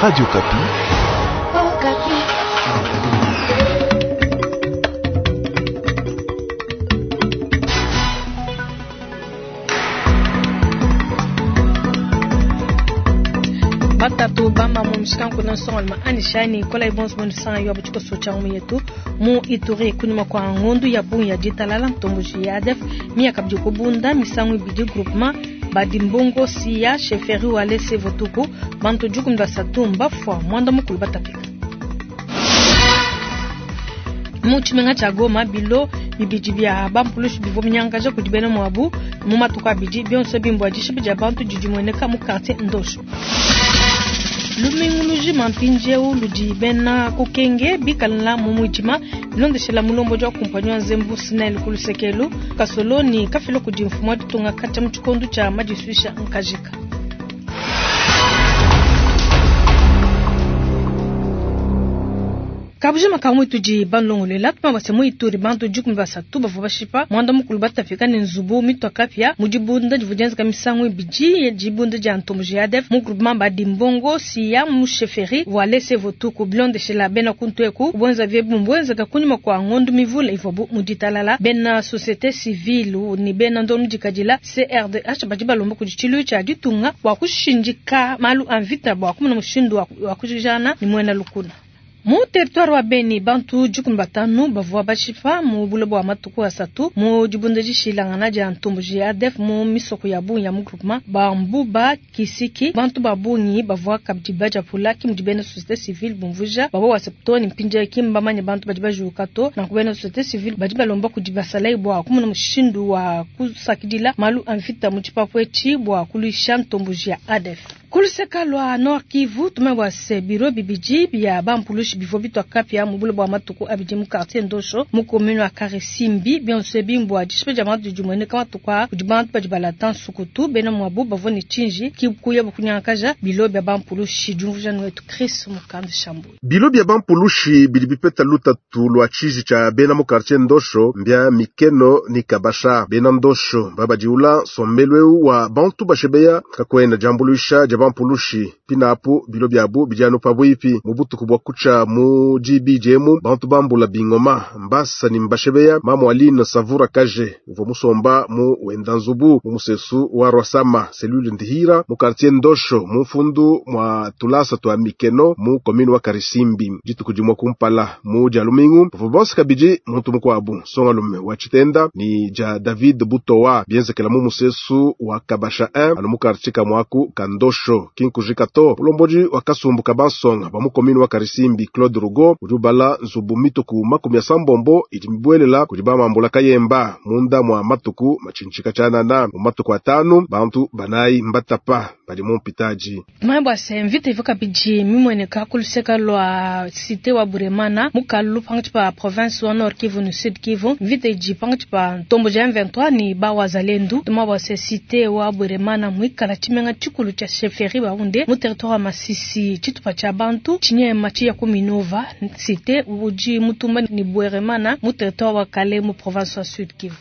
Radio Okapi. Batatu bama mu mushikanku na nsongaluma anishani kola ibonso bonu sanga yo butshikoso tshia ngumu yetu mu Ituri kunyuma kwa ngondu ya bungi ya ditalala ntomboji ya ADF miyaka bidi kubunda misangu ibidi groupement badimbongo siya chefferie walese votuku bantu dikumi basatu mbafua mwanda mukulu batapika mu tshimenga tshia Goma bilo bibidi bia bampulushi bivua binyangaja kudi bena muabu mu matuku abidi bionso bimbua dishipa dia bantu didi mueneka mu quartier Ndosho. Lumingu lujima mpindieu ludi bena kukenge bikalala mu muidima bilondeshela mulombodi wa kumpanyi wa nzembu SNEL ku lusekelu kasoloni kafila kudi mfumu wa ditunga katshia mu tshikondo tshia madisuisha nkajika. Kabujima ka muitu di banlongolela tuma base mu Ituri bantu 13 bavua bashipa mwanda mukulu batapika ne nzubu mitwa kapia mu dibunda divua dienzeka misangu ibidi dibunda dia ntomboji ya ADF mu groupement Badimbongo siya mu chefferie walese votuku bilondeshela bena kuntu eku kubwenza vyebu mbwenzeka kunyuma kwa ngondu mivula ivuabu mu ditalala bena société civile ni bena ndonu dikadila CRDH badi balomba kudi tshilu tshia ditunga bua kushindika malu a mvita bua kumona mushindu wa kujijana ni mwena lukuna. Mu territoire wa Beni bantu 15 bavua bashipa mu buloba bua matuku asatu mu dibunda dishilangana dia ntomboji ya ADF mu misoko ya bungi ya mu groupement Bambuba Kisiki bantu ba bungi bavua kabidi bajapula ki mudi bena société civile bumvuja bavua waseptoni mpindia ki mbamanye bantu badi bajuka to na kubena société civile badi balomba kudi basalai bua kumona mushindu wa kusakidila malu a mvita mu tshipapu etshi bua kuluisha ntomboji ya ADF. Kuluseka lwa Nord Kivu tumebwa se biro bibidi bia bampulushi bivua bitwa kapia mu buloba bua matuku abidi mu quartier Ndosho mu commune wa Karisimbi bionso bimbwa dishipa dia bantu dimueneka matuku a kudi bantu badi balata nsukutu bena muabu bavua ne tshinji kikuya bukunyangakaja bilo bia bampulushi diumvuja wetu Chris Mukanda Shambu. Bilo bia bampulushi bidi bipeta lutatu lwa tshiji tshia bena mu quartier Ndosho mbia Mikeno ni Kabasha bena Ndosho babadiula nsombelu wa bantu bashebeya kakwenda jambuluisha dia bampulushi pinapu bilo byabu bijano pabwipi mu butuku bwa kucha mu DBJM bantu bambula bingoma mbasa ni mbashebeya mamu Aline Savura Kaje uvo musomba mu wenda nzubu mu musesu wa Rwasama cellule Ndihira mu quartier Ndosho mu mfundu mwa tulasa twa Mikeno mu commune wa Karisimbi dituku dimwe kumpala mu Jalumingu bavo bonse kabidi muntu mukwabu songalume wa Chitenda ni ja David Butowa bienzekela mu musesu wa Kabasha 1 anu mu quartier kamwaku Kandosho kinkujika to mulomboji wa kasumbu kabansonga ba mu commune wa Karisimbi Claude Rugo udi ubala nzubu mituku 80 idi mibwelela kudi bamambula kayemba munda mwa matuku machinchika chanana mu matuku atanu bantu banayi mbatapa badi mu mpitaji Tumebwa se mvita ivuka bidi mimweneka kuluseka lwa cité wa Buremana mukalu pangathi pa province wa Nord Kivu ni Sud Kivu mvita idi pangathi pa ntombo ja M23 ni bawazalendu tumebwa se cité wa Buremana mwikala tshimenga tshikulu tsha chefferie Bahunde mu territoire wa Masisi tshitupa tsha bantu tshinyema tshiya ku Minova cité udi mutumba ni Bweremana mu territoire wa Kale mu province wa Sud Kivu.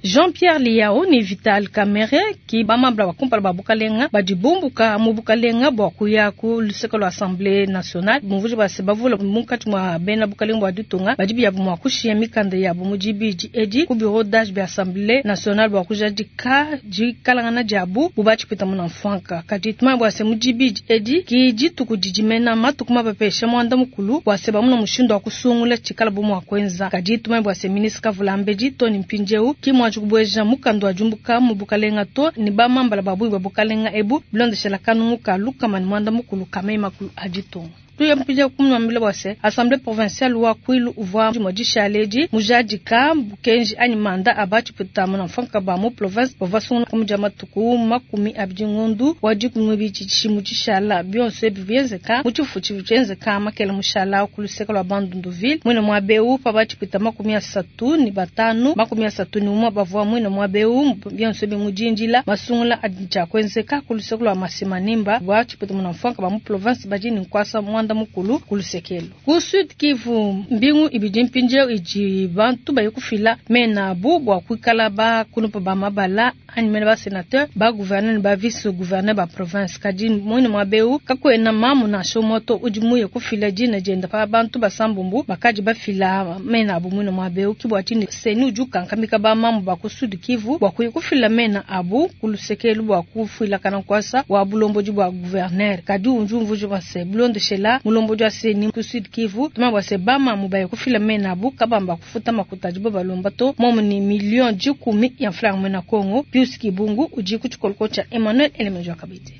Jean-Pierre Liao ni Vital Kamerhe ki bamambla bakumpala ba bukalenga badi bumbuka mu bukalenga bua kuya ku luseke lwa Assemblée nationale bumvuji base bavula munkatshi mua bena bukalenga bua ditunga badi biyabu mua kushiya mikanda yabu mu dibidi edi ku bureau d'âge bia Assemblée nationale bua kujadika dikalangana diabu bubatshipita muna mfanka kadi tumanya bua se mu dibidi edi ki dituku didimena matuku mabapesha muanda mukulu bua se bamuna mushindu wa kusungula tshikala bu mua kuenza kadi tumanya bua se ministre Kavulambedi Tony Mpindieu ki mua kubweja mukanda wa jumbuka mu bukalenga to ni bamambala babui ba bukalenga ebu bilondeshela kanungu ka lukama ni mwanda mukulu kamei makulu aditonga tuya mpija kumwambila bwase assemblée provinciale wa Kwilu uvua modishaledi mujadika bukenji anyi manda abachi putama na mfanka ba mu province bava sungula kumuja matuku 20 ngondu wa dikumi bichi tshishala bionso ebi bienzeka mu tshifu tshienzeka makela mushala kuluseka lwa Bandunduville mwina mwa beu pa bachi putama 35 31 bavua mwina mwa beu bionso ebi mujinjila masungula adija kwenzeka kuluseka lwa Masimanimba bachi putama na mfanka ba mu province bajini nkwasa mwanda. muanda mukulu ku luseke elu. Ku Sud Kivu, mbingu ibidi mpindieu idi bantu baye kufila mena abu bua kuikala ba kulupa ba mabala anyi mena ba senateur, ba gouverneur ne ba vice gouverneur ba province. Kadi muine muaba eu kakuena mamu nansha umue to udi muye kufila dina dienda pa bantu basambombo bakadi bafila mena abu muine muaba eu. Ke bua tshinyi CENI udi ukankamika ba mamu ba ku Sud Kivu bua kuya kufila mena abu ku luseke elu bua kufuilakana nkuasa wa bulombodi bua gouverneur. Kadi udi umvuija bua se bilondeshela mulombodi wa CENI ku Sud Kivu tuma bua se ba mamu baye kufila mena abu kabamba kufuta makuta adibo balomba to momu ni million dikumi ya mfranga muena Congo. Pius Kibungu udi ku tshikoloko tshia Emmanuel Elemejo Kabidi.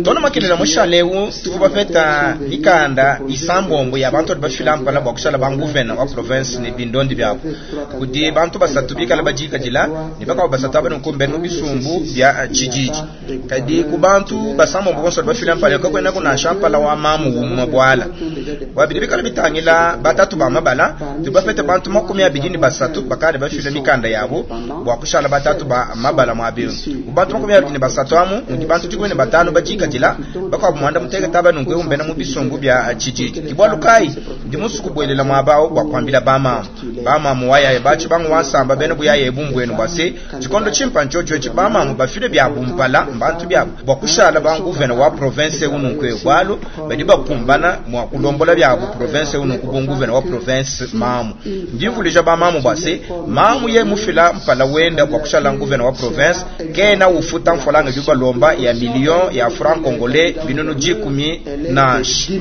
Tona makelela mushale eu tuvua bapeta mikanda isambombo ya bantu badi bafila mpala bua kushala ba nguvena wa province ne bindondi biabu kudi bantu basatu bikala badikadila ne bakuabu basatu aba nunku mbenu bisumbu bia tshididi. Kadi ku bantu basambombo bonso badi bafila mpala kakuena nansha mpala wa mamu umue buala bua bidi bikala bitangila batatu ba mabala tudi bapete bantu 23 bakadi bafila mikanda yabu bua kushala batatu ba mabala muaba eu. Mu bantu 23 amu mudi bantu 15 badikadila bakuabu muanda mutekete aba nunku eu mbena mu bisumbu bia tshididi. Ke bualu kayi ndi musue kubuelela muaba awu bua kuambila bamamu bamamu wayaye batshi bangu wansamba bena buyaye bumbuenu bua se tshikondo tshimpa ntshotsho etshi bamamu bafile biabu mpala mbantu biabu bua kushala ba nguvena wa province eu nunku eu bualu badi bakumbana mua kulombola biabu province eu nunku bu nguvena wa province mamu. Ndi mvuluija bamamu bua se mamu ye mufila mpala wenda bua kushala nguvena wa province kena ufuta mfolanga idi balomba ya million ya franc congolais binunu dikumi nansha.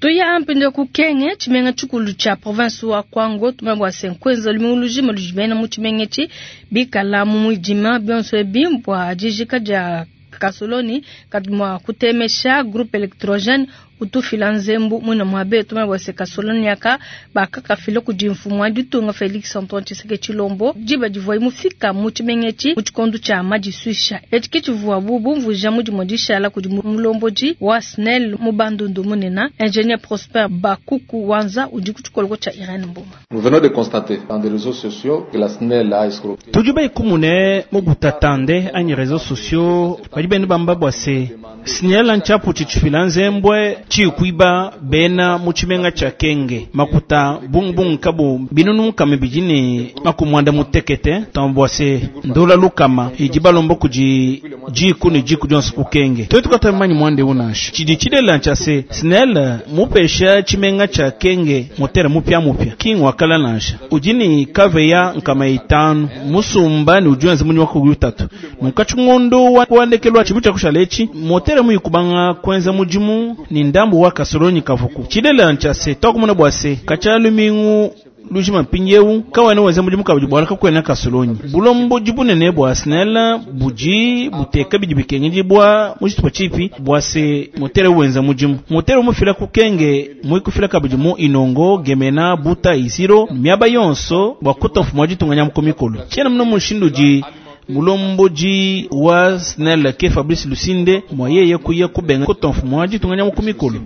Tuya mpinde ku Kenge, tshimenga tshikulu tshia province wa Kwango, tumanye bua se nkuenza lumingu lujima ludi bena mu tshimenga etshi bikala mu muidima bionso ebi bua dijika dia kasoloni kadi mua kutemesha groupe électrogène utufila nzembu muina muabe. Tumanye bua se kasoloni aka bakakafila kudi mfumu wa ditunga Felix Antoine Tshisekedi Tshilombo diba divuaye mufika mu tshimenga etshi mu tshikondo tshia madisuisha. Etshi ke tshivuabu bumvuija mudimu dishala kudi mulombodi wa SNEL mu Bandundu munene ingénieur Prosper Bakuku Wanza udi ku tshikoloko tshia Irène Mboma. Nous venons de constater dans des réseaux sociaux que la SNEL a escroqué. Tudi baikumune mu butatande anyi réseaux sociaux badi benda bamba bua se SNEL ntshiapu tshitshifila nzembwe tshikuiba bena mu tshimenga tshia Kenge makuta bungbung kabu binunu nkama bidi ne makumwanda mutekete tambua se ndola lukama idi balomba kudi jiku ne jiku dionso ku Kenge. Twetu katamanyi mwande unansha tshidi tshilela ntshia se SNEL mupesha tshimenga tshia Kenge motere mupya mupya king wakala nansha udi ne kaveya nkama itanu musumba ne udi wenza munyi wa kugulu tatu munkatshi ngondo wa kuandekelwa tshibu tshia kushala etshi motere muyikubanga kuenza mudimu ni ndambu wa kasolonyi kavuku tshilela ntshia se twakumona bua se katshia lumingu lujima mpindieu kawana wenza mudimu kabidi bwala kakwena kasolonyi bulombo bunene bua SNEL budi buteka bidi bikengedi bua mujitupa tshipi bua se motere wenza mudimu motere mufila ku Kenge muikufila kabidi mu Inongo Gemena Buta Isiro miaba yonso bua kuta mfumu wa ditunga nya mukomikolo tshiena muno mushindu di mulomboji wa SNEL ke Fabrice Lusinde mwayeye kuya kubenga kuta mfumu wa ditunga nya mukomikolo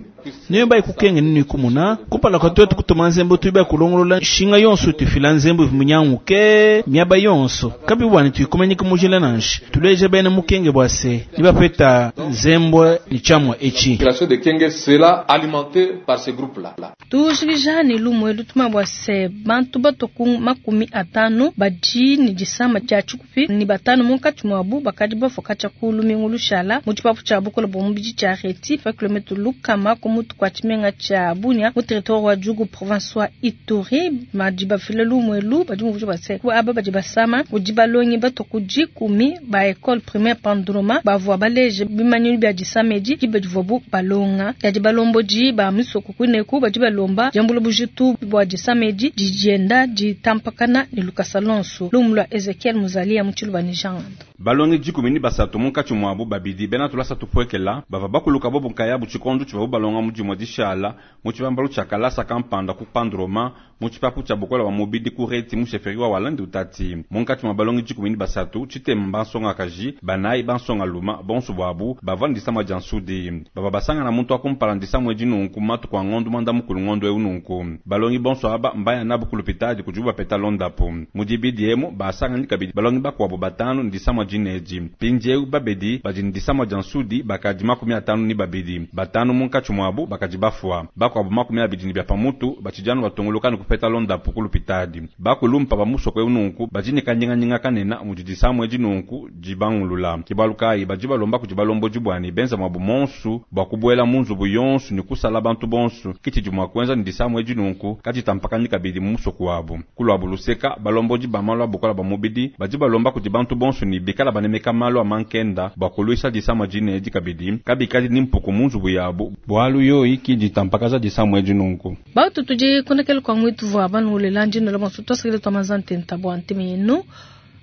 niyo bai kukenge nini kumuna kumpala kwa twetu kutuma nzembo tuiba kulongolola shinga yonso tufila nzembo munyanguke miaba yonso kabi bwana tuikumanyika mujila nanshi tuleja bene mukenge bwa se nibapeta nzembo ni chamwa echi. La de Kenge sera alimentée par ce groupe-là. Tujikija ne lumwe lutuma bwa se bantu batoku 50 badi ni disama tshia tshikupi ni batanu munkatshi muabu bakadi bafoka tshia ku lumingu lushala mu tshipapu tshia bukola bua mubidi tshia Reti pa kilometre lukama ku mutu kwa tshimenga tshia Bunia mu territoire wa Djugu province wa Ituri. Badi bafila lumwe lu badi muvuje bua se ku aba badi basama kudi balongi batoku 10 ba école primaire Pandroma bavua baleje bimanyinu bia disama edi diba divuabu balonga. Kadi balombodi ba misoko kuneku badi balomba diambula bujitu bua disama edi didienda ditampakana ne lukasa lonso. Lumu lua Ezekiel Muzalia mu Tshiluba ne Jean Ngando. Balongi 13 munkatshi muabu babidi bena tulasa tupuekela bava bakuluka bobu nkayabu tshikondo tshivuabu balonga mu dimue dishala mu tshibambalu tshia kalasa kampanda ku Pandroma. Mu tshipapu tshia bukola bua mubidi ku Reti mu chefferie wa Walendu Utati. Munkatshi mua balongi 13, tshitema bansongakaji, banayi bansongaluma, bonso buabu bavua ne disama dia nsudi. Bavua basangana muntu wa kumpala ne disama edi nunku matuku a ngondu muanda mukulu ngondu eu nunku. Balongi bonso aba mbaya nabu ku lupitadi kudibu bapeta londapu. Mu dibidi emu basanganyi kabidi balongi bakuabu batanu ne disama dinedi. Mpindieu babedi badi ne disama dia nsudi bakadi 52. Batanu munkatshi muabu bakadi bafua. Bakuabu 20 ne bia pamutu batshidi anu batunguluka ne kupeta londapu ku lupitadi. Bakulumpa ba musoko eu nunku badi ne kanyinganyinga kanene mudi disama edi nunku dibangulula. Ke bualu kayi badi balomba kudi balombodi bua ne benza muabu monsu bua kubuela mu nzubu yonsu ne kusala bantu bonsu. Ke tshidi mua kuenza ne disama edi nunku kaditampakanyi kabidi mu musoko wabu. Ku luabu luseka, balombodi ba malu a bukola bua mubidi badi balomba kudi bantu bonsu ne bikala banemeka malu a mankenda bua kuluisha disama dine edi kabidi kabikadi ne mpuku mu nzubu yabu bualu yoyi ki ditampakaja disama edi nunku. Bautu tudi kunekele kwa mwitu vua banulela ndino la bonso twasakile twa mazante ntabwa nteme yenu.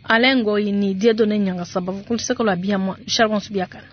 Alain Ngoyi ni Dieudonné Nyangasaba vukuluseka lwa biamwa Charles Bonso biakana.